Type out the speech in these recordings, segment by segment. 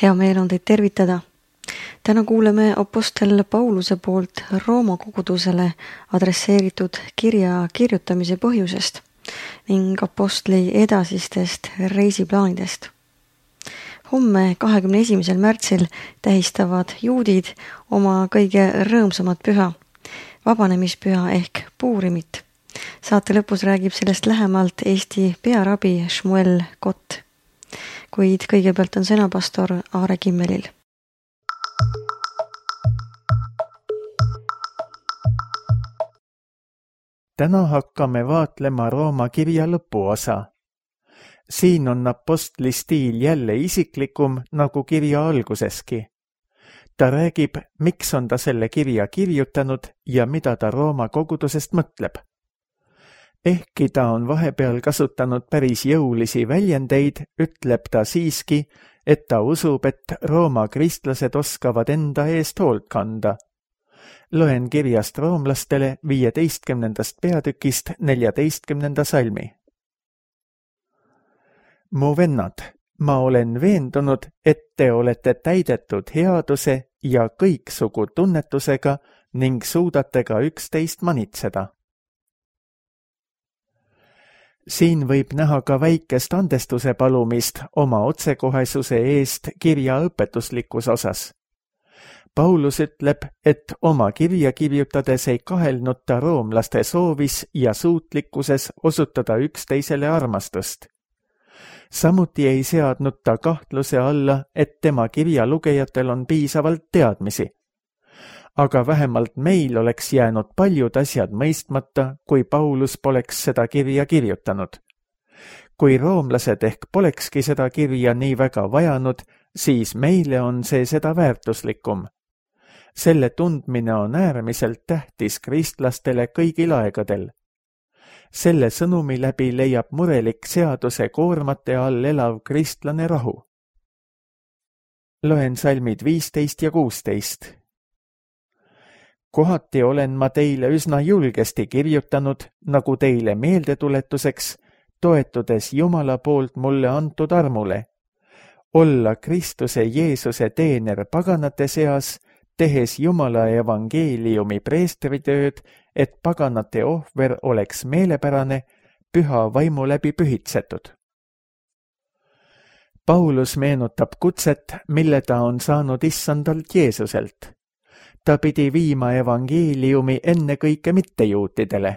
Hea meel on teid tervitada. Täna kuuleme apostel Pauluse poolt Rooma kogudusele adresseeritud kirja kirjutamise põhjusest ning apostli edasistest reisiplaanidest. Homme 21. märtsil tähistavad juudid oma kõige rõõmsamat püha, vabanemispüha ehk Puurimit. Saate lõpus räägib sellest lähemalt Eesti pearabi Shmuel Kott. Kuid kõigepealt on sõna pastor Aare Kimmelil. Täna hakkame vaatlema Rooma kirja lõpuosa. Siin on apostli stiil jälle isiklikum nagu kirja alguseski. Ta räägib, miks on ta selle kirja kirjutanud ja mida ta Rooma kogudusest mõtleb. Ehkki ta on vahepeal kasutanud päris jõulisi väljendeid, ütleb ta siiski, et ta usub, et Rooma kristlased oskavad enda eest hoolt kanda. Loen kirjast roomlastele 15. peatükist 14. salmi. Mu vennad, ma olen veendunud, et te olete täidetud headuse ja kõiksugu tunnetusega ning suudate ka üksteist manitseda. Siin võib näha ka väikest andestuse palumist oma otsekohesuse eest kirja õpetuslikus osas. Paulus ütleb, et oma kirja kirjutades ei kahelnud ta roomlaste soovis ja suutlikkuses osutada üksteisele armastust. Samuti ei seadnud ta kahtluse alla, et tema kirja lugejatel on piisavalt teadmisi. Aga vähemalt meil oleks jäänud paljud asjad mõistmata, kui Paulus poleks seda kirja kirjutanud. Kui roomlased ehk polekski seda kirja nii väga vajanud, siis meile on see seda väärtuslikum. Selle tundmine on äärmiselt tähtis kristlastele kõigil aegadel. Selle sõnumi läbi leiab murelik seaduse koormate all elav kristlane rahu. Loen salmid 15 ja 16. Kohati olen ma teile üsna julgesti kirjutanud, nagu teile meeldetuletuseks, toetudes Jumala poolt mulle antud armule. Olla Kristuse Jeesuse teener paganate seas, tehes Jumala evangeeliumi preestritööd, et paganate ohver oleks meelepärane, püha vaimu läbi pühitsetud. Paulus meenutab kutset, mille ta on saanud issandalt Jeesuselt. Ta pidi viima evangeeliumi ennekõike mittejuutidele.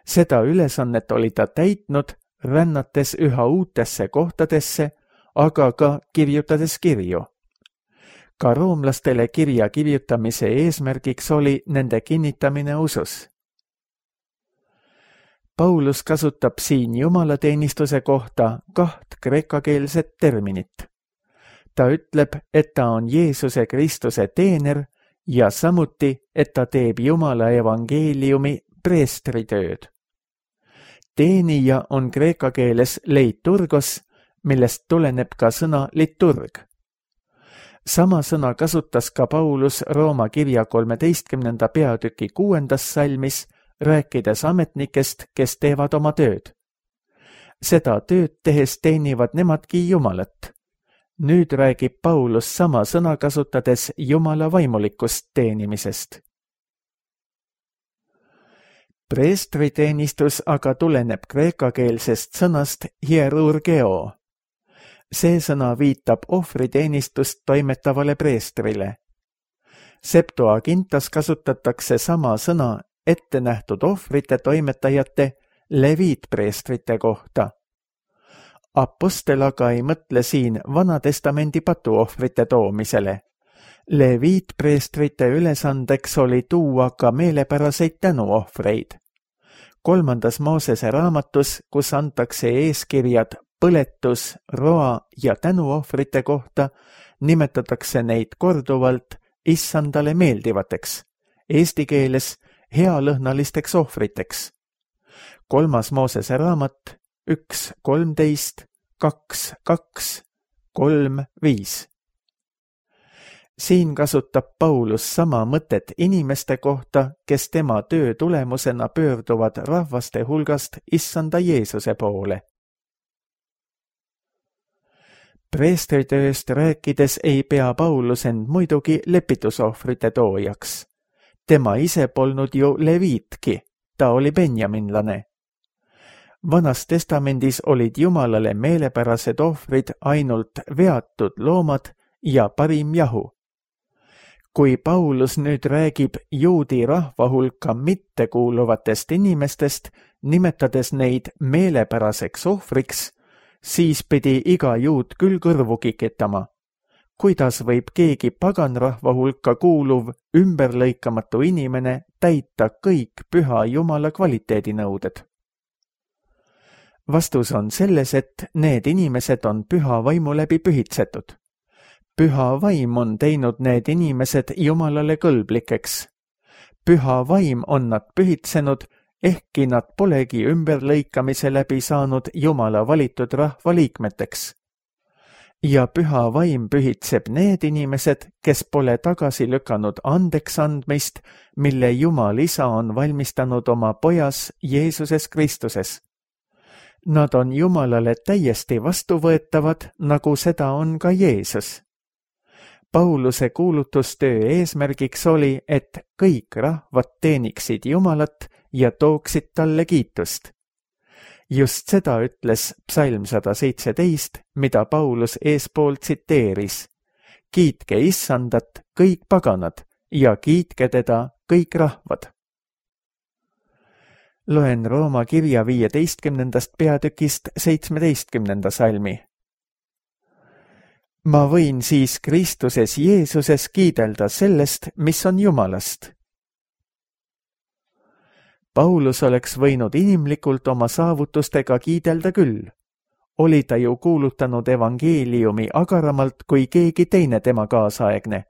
Seda ülesannet oli ta täitnud, rännates üha uutesse kohtadesse, aga ka kirjutades kirju. Ka roomlastele kirja kirjutamise eesmärgiks oli nende kinnitamine usus. Paulus kasutab siin jumalateenistuse kohta 2 kreekakeelset terminit. Ta ütleb, et ta on Jeesuse Kristuse teener ja samuti, et ta teeb Jumala evangeeliumi preestritööd. Teenija on kreeka keeles leiturgos, millest tuleneb ka sõna liturg. Sama sõna kasutas ka Paulus Rooma kirja 13. peatüki 6. salmis, rääkides ametnikest, kes teevad oma tööd. Seda tööd tehes teenivad nemadki Jumalat. Nüüd räägib Paulus sama sõna kasutades Jumala vaimulikust teenimisest. Preestriteenistus aga tuleneb kreekakeelsest sõnast hierurgeo. See sõna viitab ohvriteenistust toimetavale preestrile. Septuagintas kasutatakse sama sõna ettenähtud ohvrite toimetajate leviitpreestrite kohta. Apostel aga ei mõtle siin Vanatestamendi patuohvrite toomisele. Leviitpreestrite ülesandeks oli tuua ka meelepäraseid tänuohvreid. 3. Moosese raamatus, kus antakse eeskirjad põletus, roa ja tänuohvrite kohta, nimetatakse neid korduvalt issandale meeldivateks, eesti keeles healõhnalisteks ohvriteks. 3. Moosese raamat 1.13, 2.2, 3.5. Siin kasutab Paulus sama mõtet inimeste kohta, kes tema töö tulemusena pöörduvad rahvaste hulgast issanda Jeesuse poole. Preestritööst rääkides ei pea Paulus end muidugi lepitusohvrite toojaks. Tema ise polnud ju leviitki, ta oli benjaminlane. Vanas testamendis olid Jumalale meelepärased ohvrid ainult veatud loomad ja parim jahu. Kui Paulus nüüd räägib juudi rahva hulka mittekuuluvatest inimestest, nimetades neid meelepäraseks ohvriks, siis pidi iga juut küll kõrvu kikitama. Kuidas võib keegi paganrahva hulka kuuluv ümberlõikamatu inimene täita kõik püha Jumala kvaliteedinõuded? Vastus on selles, et need inimesed on püha vaimu läbi pühitsetud. Püha vaim on teinud need inimesed Jumalale kõlblikeks. Püha vaim on nad pühitsenud, ehkki nad polegi ümberlõikamise läbi saanud Jumala valitud rahva liikmeteks. Ja püha vaim pühitseb need inimesed, kes pole tagasi lükanud andeks andmist, mille Jumal Isa on valmistanud oma pojas Jeesuses Kristuses. Nad on Jumalale täiesti vastuvõetavad, nagu seda on ka Jeesus. Pauluse kuulutustöö eesmärgiks oli, et kõik rahvad teeniksid Jumalat ja tooksid talle kiitust. Just seda ütles psalm 117, mida Paulus eespool tsiteeris. Kiitke Issandat kõik paganad ja kiitke teda kõik rahvad. Loen Rooma kirja 15. peatükist 17. salmi. Ma võin siis Kristuses Jeesuses kiidelda sellest, mis on Jumalast. Paulus oleks võinud inimlikult oma saavutustega kiidelda küll. Oli ta ju kuulutanud evangeeliumi agaramalt kui keegi teine tema kaasaegne.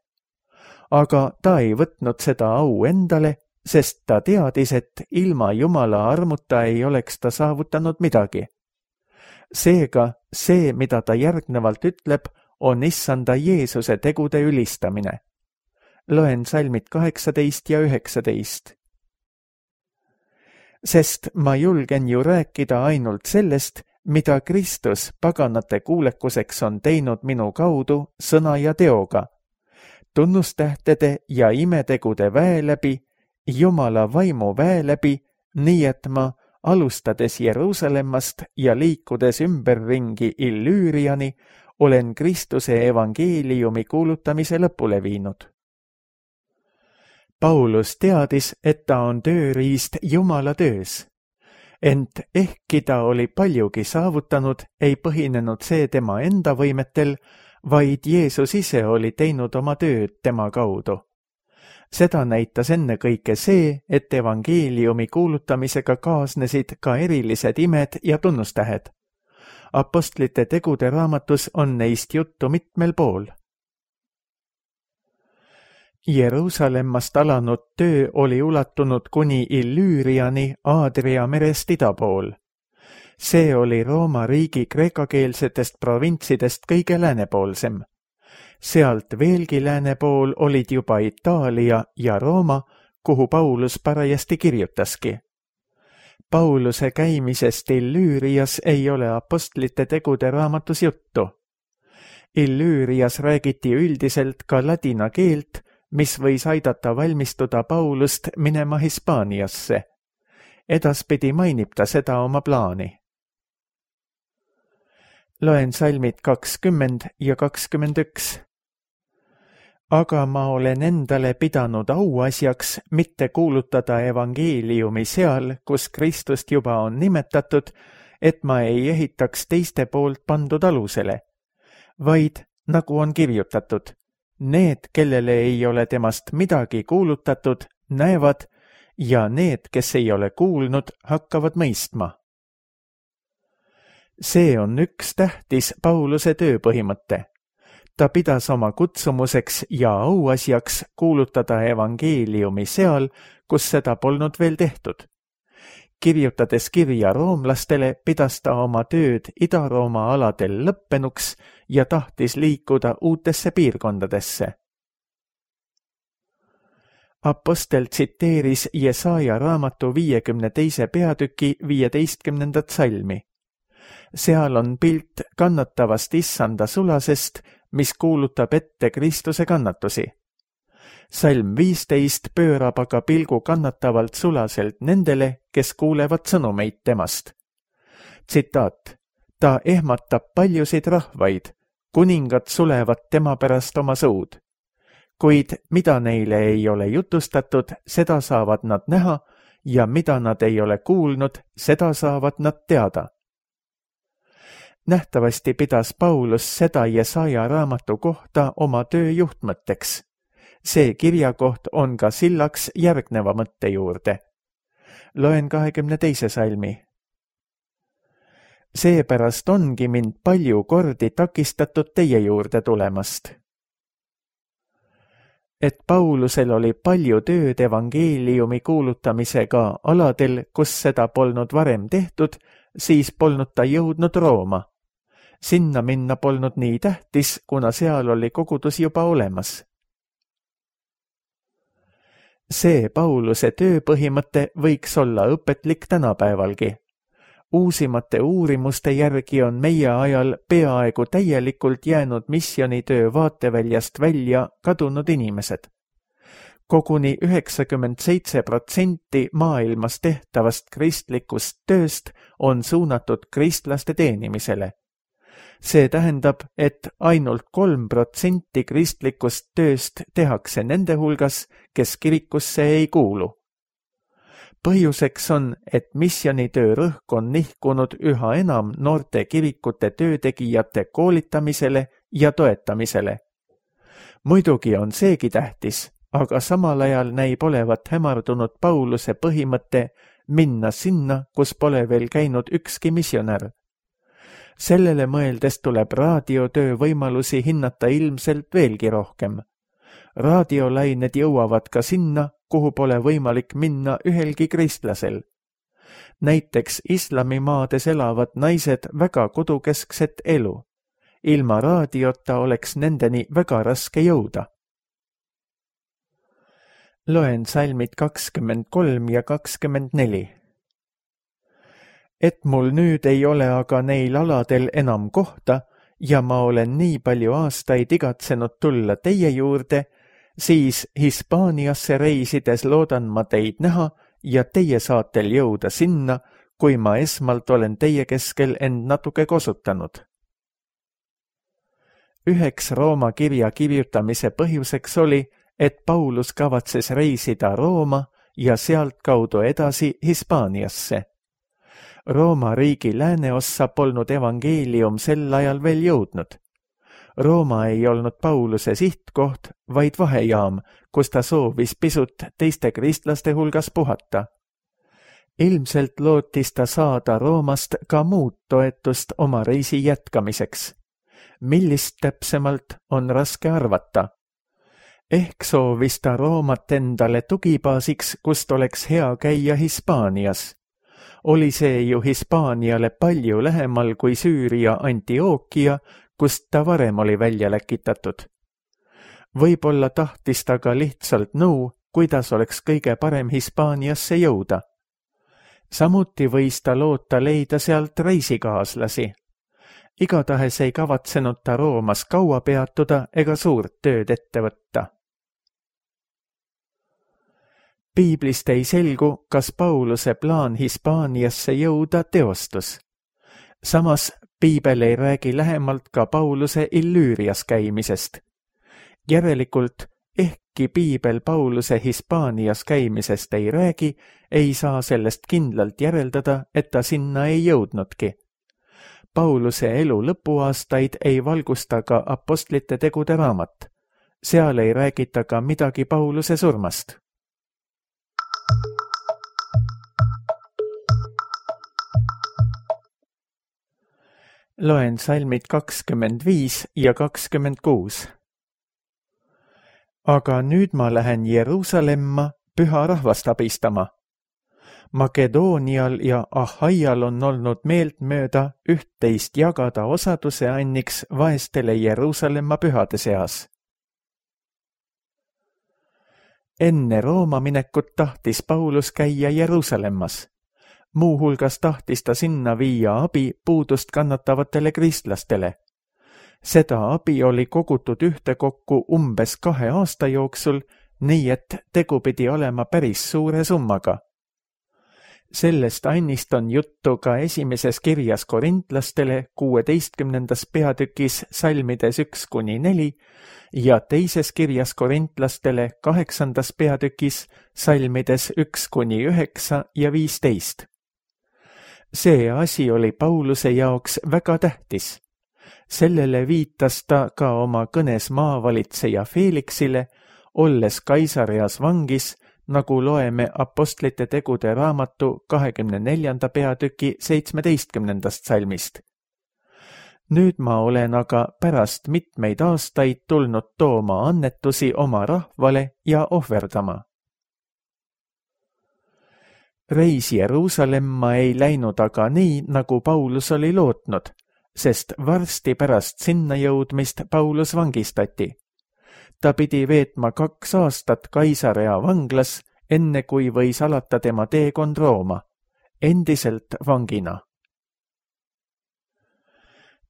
Aga ta ei võtnud seda au endale, sest ta teadis, et ilma Jumala armuta ei oleks ta saavutanud midagi. Seega see, mida ta järgnevalt ütleb, on Issanda Jeesuse tegude ülistamine. Loen salmid 18 ja 19. Sest ma julgen ju rääkida ainult sellest, mida Kristus paganate kuulekuseks on teinud minu kaudu sõna ja teoga, tunnustähtede ja imetegude väe läbi, Jumala vaimu väe läbi, nii et ma, alustades Jeruusalemmast ja liikudes ümberringi Illüüriani, olen Kristuse evangeeliumi kuulutamise lõpule viinud. Paulus teadis, et ta on tööriist Jumala töös. Ent ehkki ta oli paljugi saavutanud, ei põhinenud see tema enda võimetel, vaid Jeesus ise oli teinud oma tööd tema kaudu. Seda näitas ennekõike see, et evangeeliumi kuulutamisega kaasnesid ka erilised imed ja tunnustähed. Apostlite tegude raamatus on neist juttu mitmel pool. Jeruusalemmast alanud töö oli ulatunud kuni Illüüriani Aadria merest ida pool. See oli Rooma riigi kreekakeelsetest provintsidest kõige läänepoolsem. Sealt veelgi lääne pool olid juba Itaalia ja Rooma, kuhu Paulus parajasti kirjutaski. Pauluse käimisest Illüürias ei ole apostlite tegude raamatus juttu. Illüürias räägiti üldiselt ka ladina keelt, mis võis aidata valmistuda Paulust minema Hispaaniasse. Edaspidi mainib ta seda oma plaani. Loen salmid 20 ja 21. Aga ma olen endale pidanud auasjaks mitte kuulutada evangeeliumi seal, kus Kristust juba on nimetatud, et ma ei ehitaks teiste poolt pandud alusele, vaid, nagu on kirjutatud, need, kellele ei ole temast midagi kuulutatud, näevad, ja need, kes ei ole kuulnud, hakkavad mõistma. See on üks tähtis Pauluse tööpõhimõte. Ta pidas oma kutsumuseks ja auasjaks kuulutada evangeeliumi seal, kus seda polnud veel tehtud. Kirjutades kirja roomlastele, pidas ta oma tööd Ida-Rooma aladel lõppenuks ja tahtis liikuda uutesse piirkondadesse. Apostel tsiteeris Jesaja raamatu 52. peatüki 15. salmi. seal on pilt kannatavast issanda sulasest, mis kuulutab ette Kristuse kannatusi. Salm 15 pöörab aga pilgu kannatavalt sulaselt nendele, kes kuulevad sõnumeid temast. Tsitaat: ta ehmatab paljusid rahvaid, kuningad sulevad tema pärast oma suud. Kuid mida neile ei ole jutustatud, seda saavad nad näha, ja mida nad ei ole kuulnud, seda saavad nad teada. Nähtavasti pidas Paulus seda Jesaja raamatu kohta oma töö juhtmõtteks. See kirjakoht on ka sillaks järgneva mõtte juurde. Loen 22. salmi. Seepärast ongi mind palju kordi takistatud teie juurde tulemast. Et Paulusel oli palju tööd evangeeliumi kuulutamisega aladel, kus seda polnud varem tehtud, siis polnud ta jõudnud Rooma. Sinna minna polnud nii tähtis, kuna seal oli kogudus juba olemas. See Pauluse tööpõhimõte võiks olla õpetlik tänapäevalgi. Uusimate uurimuste järgi on meie ajal peaaegu täielikult jäänud missioonitöö vaateväljast välja kadunud inimesed. Koguni 97% maailmas tehtavast kristlikust tööst on suunatud kristlaste teenimisele. See tähendab, et ainult 3% kristlikust tööst tehakse nende hulgas, kes kirikusse ei kuulu. Põhjuseks on, et missionitöö rõhk on nihkunud üha enam noorte kirikute töötegijate koolitamisele ja toetamisele. Muidugi on seegi tähtis, aga samal ajal näib olevat hämardunud Pauluse põhimõte minna sinna, kus pole veel käinud ükski missionär. Sellele mõeldes tuleb raadiotöö võimalusi hinnata ilmselt veelgi rohkem. Raadiolained jõuavad ka sinna, kuhu pole võimalik minna ühelgi kristlasel. Näiteks islamimaades elavad naised väga kodukeskset elu. Ilma raadiota oleks nendeni väga raske jõuda. Loen salmid 23 ja 24. Et mul nüüd ei ole aga neil aladel enam kohta ja ma olen nii palju aastaid igatsenud tulla teie juurde, siis Hispaaniasse reisides loodan ma teid näha ja teie saatel jõuda sinna, kui ma esmalt olen teie keskel end natuke kosutanud. Üheks Rooma kirja kirjutamise põhjuseks oli, et Paulus kavatses reisida Rooma ja sealt kaudu edasi Hispaaniasse. Rooma riigi lääneossa polnud evangeelium sel ajal veel jõudnud. Rooma ei olnud Pauluse sihtkoht, vaid vahejaam, kus ta soovis pisut teiste kristlaste hulgas puhata. Ilmselt lootis ta saada Roomast ka muud toetust oma reisi jätkamiseks. Millist täpsemalt on raske arvata. Ehk soovis ta Roomat endale tugibaasiks, kust oleks hea käia Hispaanias. Oli see ju Hispaaniale palju lähemal kui Süüria Antioquia, kust ta varem oli välja läkitatud. Võib-olla tahtis ta ka lihtsalt nõu, kuidas oleks kõige parem Hispaaniasse jõuda. Samuti võis ta loota leida sealt reisikaaslasi. Igatahes ei kavatsenud ta Roomas kaua peatuda ega suurt tööd ette võtta. Piiblist ei selgu, kas Pauluse plaan Hispaaniasse jõuda teostus. Samas piibel ei räägi lähemalt ka Pauluse Illüürias käimisest. Järelikult, ehkki piibel Pauluse Hispaanias käimisest ei räägi, ei saa sellest kindlalt järeldada, et ta sinna ei jõudnudki. Pauluse elu lõpuaastaid ei valgusta ka apostlite tegude raamat. Seal ei räägita ka midagi Pauluse surmast. Loen salmid 25 ja 26. Aga nüüd ma lähen Jeruusalemma püha rahvast abistama. Makedoonial ja Ahaial on olnud meeltmööda üht-teist jagada osaduse anniks vaestele Jeruusalemma pühade seas. Enne Rooma minekut tahtis Paulus käia Jeruusalemmas. Muuhulgas tahtis ta sinna viia abi puudust kannatavatele kristlastele. Seda abi oli kogutud ühtekokku umbes 2 aasta jooksul, nii et tegu pidi olema päris suure summaga. Sellest annist on juttu ka esimeses kirjas korintlastele 16. peatükis salmides 1-4 ja teises kirjas korintlastele 8. peatükis salmides 1-9 ja 15. See asi oli Pauluse jaoks väga tähtis. Sellele viitas ta ka oma kõnes maavalitseja Felixile, olles Kaisareas vangis, nagu loeme Apostlite tegude raamatu 24. peatüki 17. salmist. Nüüd ma olen aga pärast mitmeid aastaid tulnud tooma annetusi oma rahvale ja ohverdama. Reis Jeruusalemma ei läinud aga nii, nagu Paulus oli lootnud, sest varsti pärast sinna jõudmist Paulus vangistati. Ta pidi veetma 2 aastat Kaisarea vanglas, enne kui võis alata tema teekond Rooma, endiselt vangina.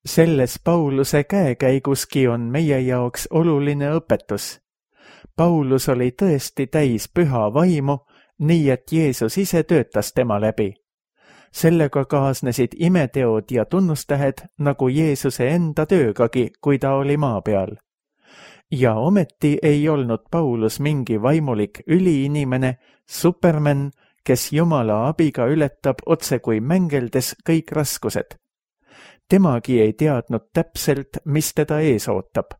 Selles Pauluse käekäiguski on meie jaoks oluline õpetus. Paulus oli tõesti täis püha vaimu, nii et Jeesus ise töötas tema läbi. Sellega kaasnesid imeteod ja tunnustähed nagu Jeesuse enda töögagi, kui ta oli maa peal. Ja ometi ei olnud Paulus mingi vaimulik üliinimene, superman, kes Jumala abiga ületab otse kui mängeldes kõik raskused. Temagi ei teadnud täpselt, mis teda ees ootab.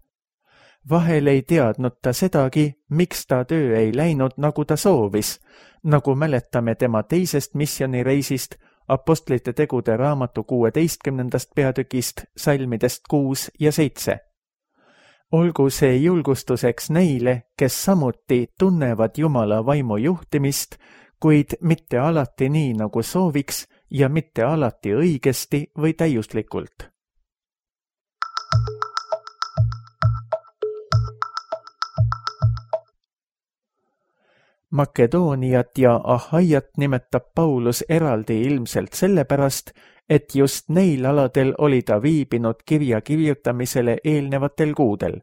Vahel ei teadnud ta sedagi, miks ta töö ei läinud, nagu ta soovis, nagu mäletame tema teisest missioonireisist Apostlite tegude raamatu 16. peatükist salmidest 6 ja 7. Olgu see julgustuseks neile, kes samuti tunnevad Jumala vaimu juhtimist, kuid mitte alati nii, nagu sooviks ja mitte alati õigesti või täiuslikult. Makedooniat ja Ahaiat nimetab Paulus eraldi ilmselt sellepärast, et just neil aladel oli ta viibinud kirja kirjutamisele eelnevatel kuudel.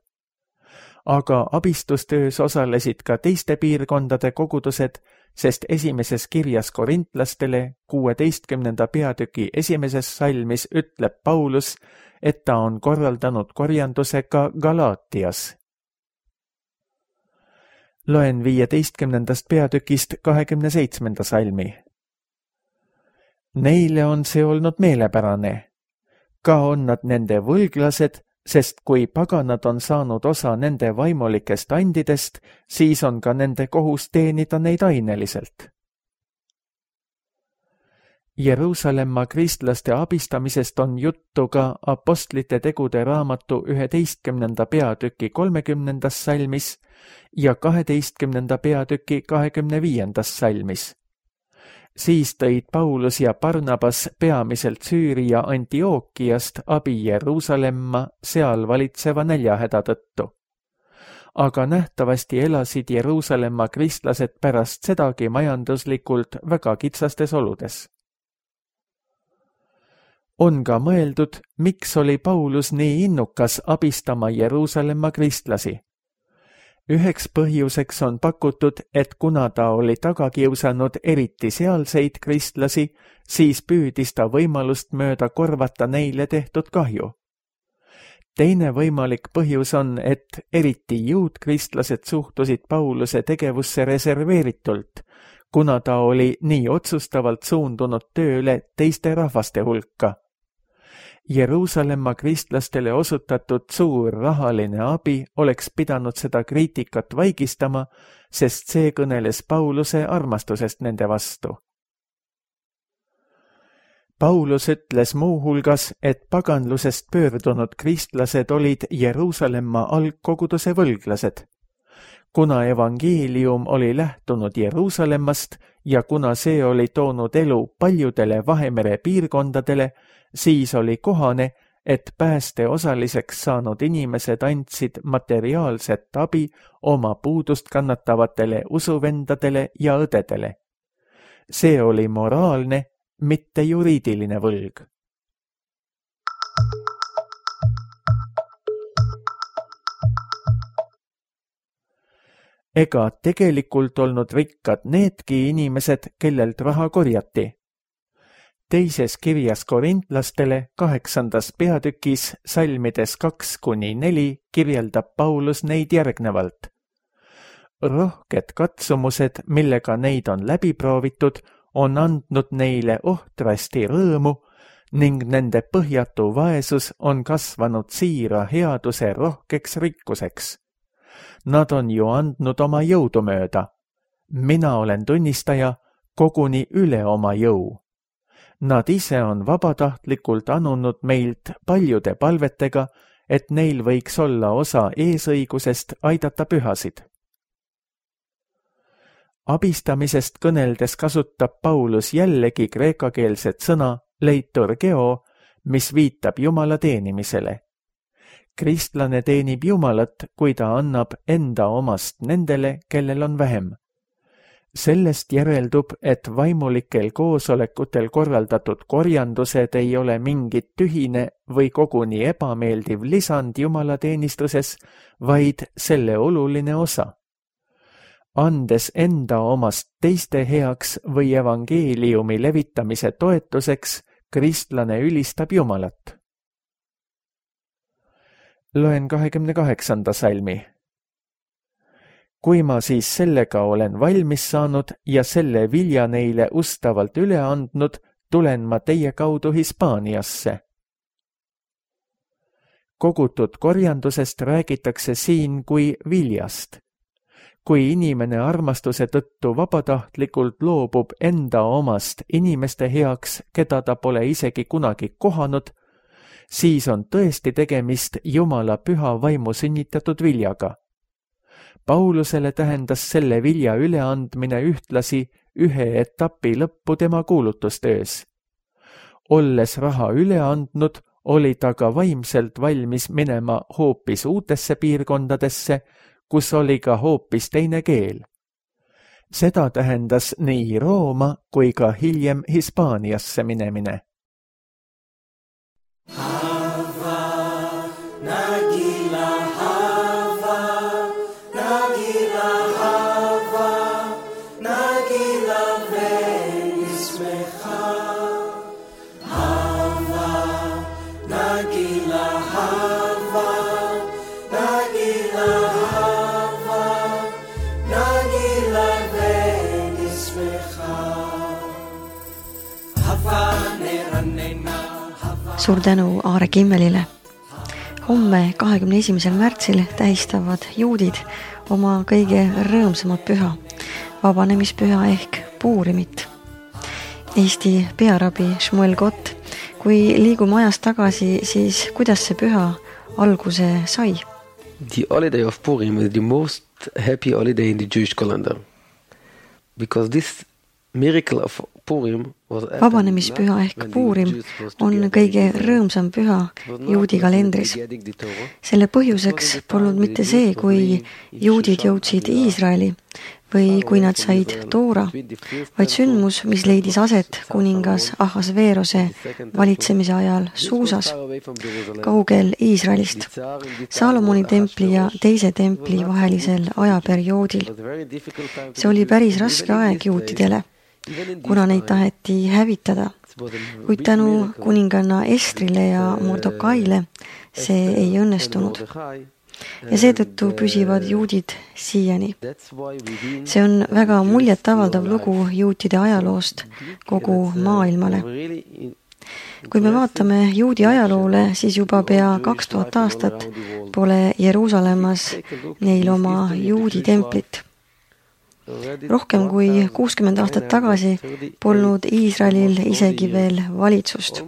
Aga abistustöös osalesid ka teiste piirkondade kogudused, sest esimeses kirjas korintlastele 16. peatüki 1. salmis ütleb Paulus, et ta on korraldanud korjanduse ka Galaatias. Loen 15. peatükist 27. salmi. Neile on see olnud meelepärane. Ka on nad nende võlglased, sest kui paganad on saanud osa nende vaimulikest andidest, siis on ka nende kohus teenida neid aineliselt. Jeruusalemma kristlaste abistamisest on juttu ka Apostlite tegude raamatu 11. peatüki 30. salmis ja 12. peatüki 25. salmis. Siis tõid Paulus ja Barnabas peamiselt Süüria Antiookiast abi Jeruusalemma seal valitseva näljahäda tõttu. Aga nähtavasti elasid Jeruusalemma kristlased pärast sedagi majanduslikult väga kitsastes oludes. On ka mõeldud, miks oli Paulus nii innukas abistama Jeruusalemma kristlasi. Üheks põhjuseks on pakutud, et kuna ta oli taga kiusanud eriti sealseid kristlasi, siis püüdis ta võimalust mööda korvata neile tehtud kahju. Teine võimalik põhjus on, et eriti juutkristlased suhtusid Pauluse tegevusse reserveeritult, kuna ta oli nii otsustavalt suundunud tööle teiste rahvaste hulka. Jeruusalemma kristlastele osutatud suur rahaline abi oleks pidanud seda kriitikat vaigistama, sest see kõneles Pauluse armastusest nende vastu. Paulus ütles muuhulgas, et paganlusest pöördunud kristlased olid Jeruusalemma algkoguduse võlglased. Kuna evangeelium oli lähtunud Jeruusalemmast ja kuna see oli toonud elu paljudele Vahemere piirkondadele, siis oli kohane, et pääste osaliseks saanud inimesed andsid materiaalset abi oma puudust kannatavatele usuvendadele ja õdedele. See oli moraalne mitte juriidiline võlg. Ega tegelikult olnud rikkad needki inimesed, kellelt raha korjati. Teises kirjas korintlastele 8. peatükis salmides 2-4 kirjeldab Paulus neid järgnevalt. Rohked katsumused, millega neid on läbi proovitud, on andnud neile ohtrasti rõõmu ning nende põhjatu vaesus on kasvanud siira headuse rohkeks rikkuseks. Nad on ju andnud oma jõudu mööda. Mina olen tunnistaja koguni üle oma jõu. Nad ise on vabatahtlikult anunud meilt paljude palvetega, et neil võiks olla osa eesõigusest aidata pühasid. Abistamisest kõneldes kasutab Paulus jällegi kreekakeelset sõna leiturgeo, mis viitab Jumala teenimisele. Kristlane teenib Jumalat, kui ta annab enda omast nendele, kellel on vähem. Sellest järeldub, et vaimulikel koosolekutel korraldatud korjandused ei ole mingit tühine või koguni ebameeldiv lisand Jumala teenistuses, vaid selle oluline osa. Andes enda omast teiste heaks või evangeeliumi levitamise toetuseks, kristlane ülistab Jumalat. Loen 28. salmi. Kui ma siis sellega olen valmis saanud ja selle vilja neile ustavalt üle andnud, tulen ma teie kaudu Hispaaniasse. Kogutud korjandusest räägitakse siin kui viljast. Kui inimene armastuse tõttu vabatahtlikult loobub enda omast inimeste heaks, keda ta pole isegi kunagi kohanud, siis on tõesti tegemist Jumala püha vaimu sünnitatud viljaga. Paulusele tähendas selle vilja üleandmine ühtlasi ühe etapi lõppu tema kuulutustöös. Olles raha üle andnud, oli ta ka vaimselt valmis minema hoopis uutesse piirkondadesse, kus oli ka hoopis teine keel. Seda tähendas nii Rooma kui ka hiljem Hispaaniasse minemine. Suur tänu Aare Kimmelile. Homme 21. märtsil tähistavad juudid oma kõige rõõmsamat püha, vabanemispüha ehk Puurimit. Eesti pearabi Shmuel Gott, kui liigume ajas tagasi, siis kuidas see püha alguse sai? The holiday of Purim is the most happy holiday in the Jewish calendar. Because this miracle of Purim vabanemispüha ehk Puurim on kõige rõõmsam püha juudi kalendris. Selle põhjuseks polnud mitte see, kui juudid jõudsid Iisraeli või kui nad said Toora, vaid sündmus, mis leidis aset kuningas Ahasveerose valitsemise ajal Suusas, kaugel Iisraelist, Salomoni templi ja teise templi vahelisel ajaperioodil. See oli päris raske aeg juutidele, kuna neid taheti hävitada, kuid tänu kuninganna Estrile ja Mordokaile see ei õnnestunud. Ja seetõttu püsivad juudid siiani. See on väga muljetavaldav lugu juutide ajaloost kogu maailmale. Kui me vaatame juudi ajaloole, siis juba pea 2000 aastat pole Jeruusalemmas neil oma juudi templit. Rohkem kui 60 aastat tagasi polnud Iisraelil isegi veel valitsust.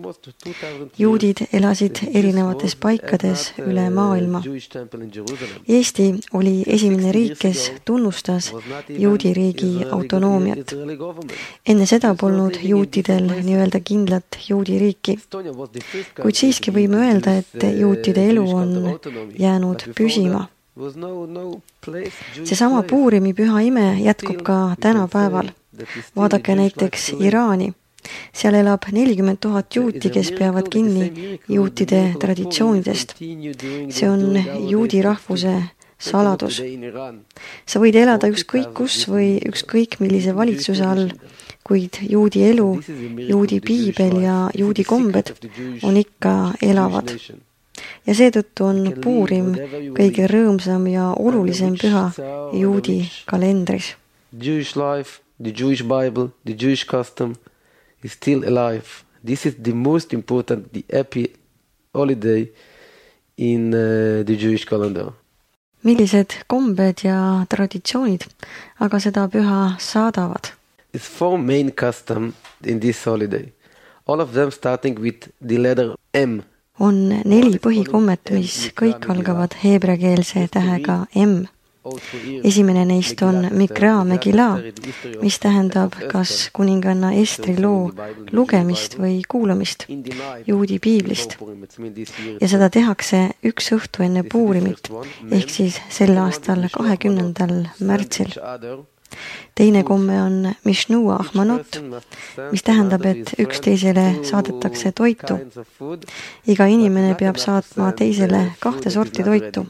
Juudid elasid erinevates paikades üle maailma. Eesti oli esimene riik, kes tunnustas juudi riigi autonoomiat. Enne seda polnud juutidel nii-öelda kindlat juudi riiki. Kuid siiski võime öelda, et juutide elu on jäänud püsima. Seesama Puurimi püha ime jätkub ka tänapäeval. Vaadake näiteks Iraani. Seal elab 40,000 juuti, kes peavad kinni juutide traditsioonidest. See on juudi rahvuse saladus. Sa võid elada ükskõik kus või ükskõik millise valitsuse all, kuid juudi elu, juudi piibel ja juudi kombed on ikka elavad. Ja seetõttu on Puurim kõige rõõmsam ja olulisem püha juudi kalendris. Jewish life, the Jewish Bible, the Jewish custom is still alive. This is the most important, the happy holiday in the Jewish calendar. Millised kombed ja traditsioonid aga seda püha saadavad? It's 4 main custom in this holiday. All of them starting with the letter M. On 4 põhikommet, mis kõik algavad heebreakeelse tähega M. Esimene neist on Mikra Megila, mis tähendab kas kuninganna Estri loo lugemist või kuulamist juudi piiblist. Ja seda tehakse üks õhtu enne Puurimit, ehk siis sel aastal 20. märtsil. Teine komme on Mishnua Ahmanot, mis tähendab, et üksteisele saadetakse toitu. Iga inimene peab saatma teisele 2 sorti toitu.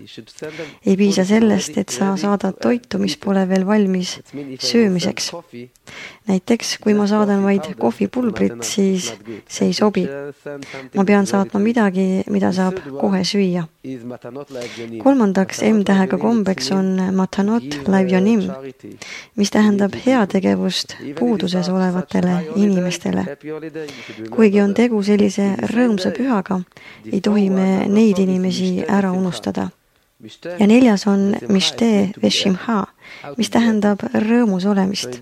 Ei piisa sellest, et sa saadad toitu, mis pole veel valmis söömiseks. Näiteks, kui ma saadan vaid kohvipulbrit, siis see ei sobi. Ma pean saatma midagi, mida saab kohe süüa. Kolmandaks M-tähega kombeks on Matanot Laivjonim, mis tähendab heategevust puuduses olevatele inimestele. Kuigi on tegu sellise rõõmsa pühaga, ei tohi me neid inimesi ära unustada. Ja 4. on Mishte Veshimha, mis tähendab rõõmus olemist.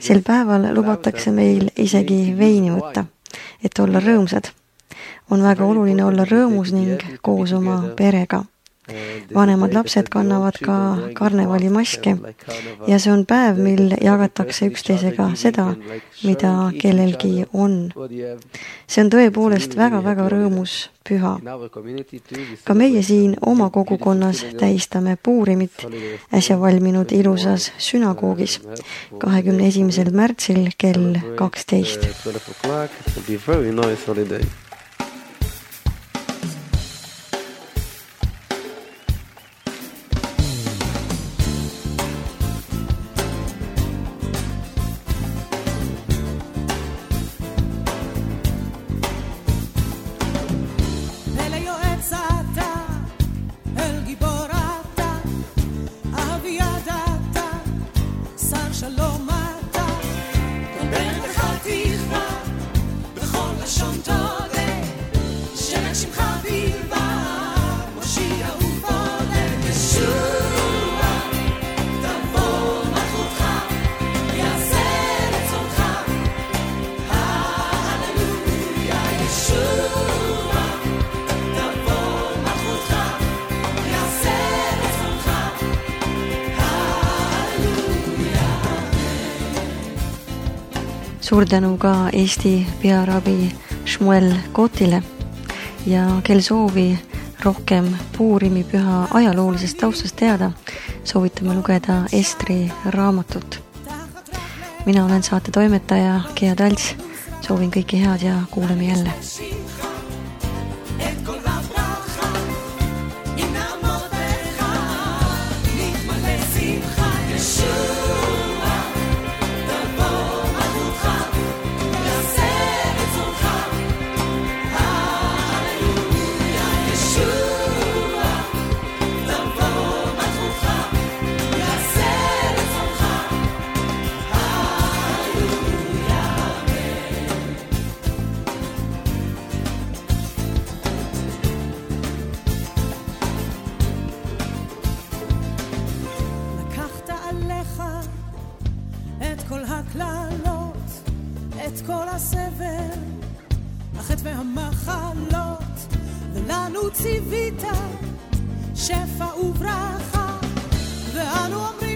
Sel päeval lubatakse meil isegi veini võtta, et olla rõõmsad. On väga oluline olla rõõmus ning koos oma perega. Vanemad lapsed kannavad ka karnevalimaske ja see on päev, mil jagatakse üksteisega seda, mida kellelgi on. See on tõepoolest väga-väga rõõmus püha. Ka meie siin oma kogukonnas tähistame Puurimit äsja valminud ilusas sünagoogis 21. märtsil kell 12. Suur tänu ka Eesti pearabi Shmuel Kotile ja kel soovi rohkem Puurimi püha ajaloolisest taustast teada, soovitame lugeda Estri raamatut. Mina olen saate toimetaja Gea Talts, soovin kõike head ja kuuleme jälle. את כל הסבל, החטא והמחלות, ולנו ציווית שפע וברכה, ואנו אומרים